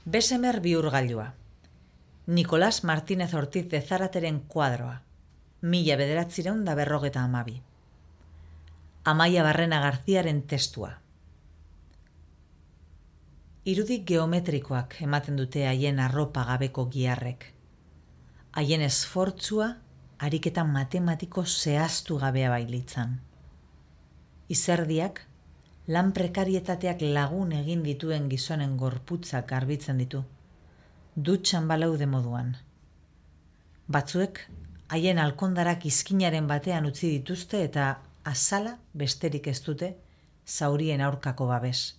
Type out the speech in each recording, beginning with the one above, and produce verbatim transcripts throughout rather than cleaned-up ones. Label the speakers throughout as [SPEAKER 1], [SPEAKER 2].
[SPEAKER 1] Besemer bihurgailua. Nicolás Martínez Ortiz de Zarateren kuadroa. Mila bederatzireun da berrogeta amabi. Amaia Barrena Garziaren testua. Irudik geometrikoak ematen dute haien arropa gabeko giharrek. Haien esfortzua ariketa matematiko zehaztu gabea bailitzan. Izerdiak, lan prekarietateak lagun egin dituen gizonen gorputzak garbitzen ditu, dutxan balaude moduan. Batzuek, haien alkondarak izkinaren batean utzi dituzte eta azala besterik ez dute zaurien aurkako babes.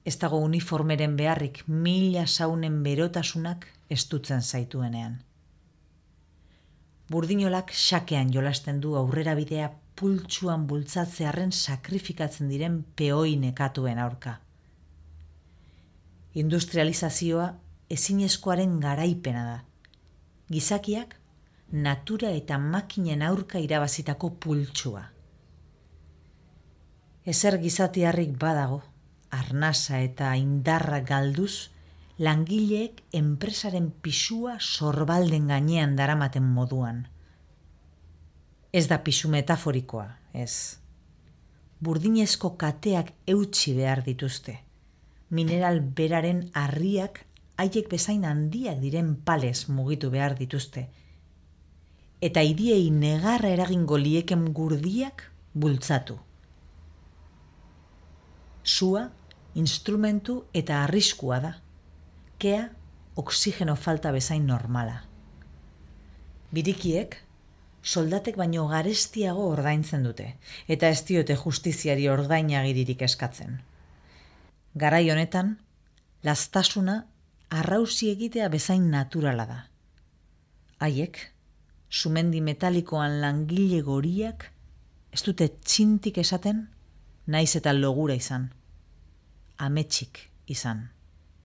[SPEAKER 1] Ez dago uniformeren beharrik mila saunen berotasunak estutzen zaituenean. Burdinolak xakean jolasten du aurrera bidea pultsuan bultzatzearren sakrifikatzen diren peoi nekatuen aurka. Industrializazioa ezinezkoaren garaipena da. Gizakiak natura eta makinen aurka irabazitako pultsua. Ezer gizatiarrik badago, arnasa eta indarra galduz, langileek enpresaren pisua sorbalden gainean daramaten moduan. Ez da pisu metaforikoa, ez. Burdinezko kateak eutsi behar dituzte. Mineral beraren harriak haiek bezain handiak diren palez mugitu behar dituzte. Eta hiriei negarra eragingo lieken gurdiak bultzatu. Sua, instrumentu eta arriskua da. Kea, oxigeno falta bezain normala. Birikiek, soldatek baino garestiago ordaintzen dute, eta ez diote justiziari ordainagiririk eskatzen. Garai honetan, lastasuna arrausi egitea bezain naturala da. Haiek, sumendi metalikoan langile goriak, ez dute txintik esaten, naiz eta logura izan, ametsik izan.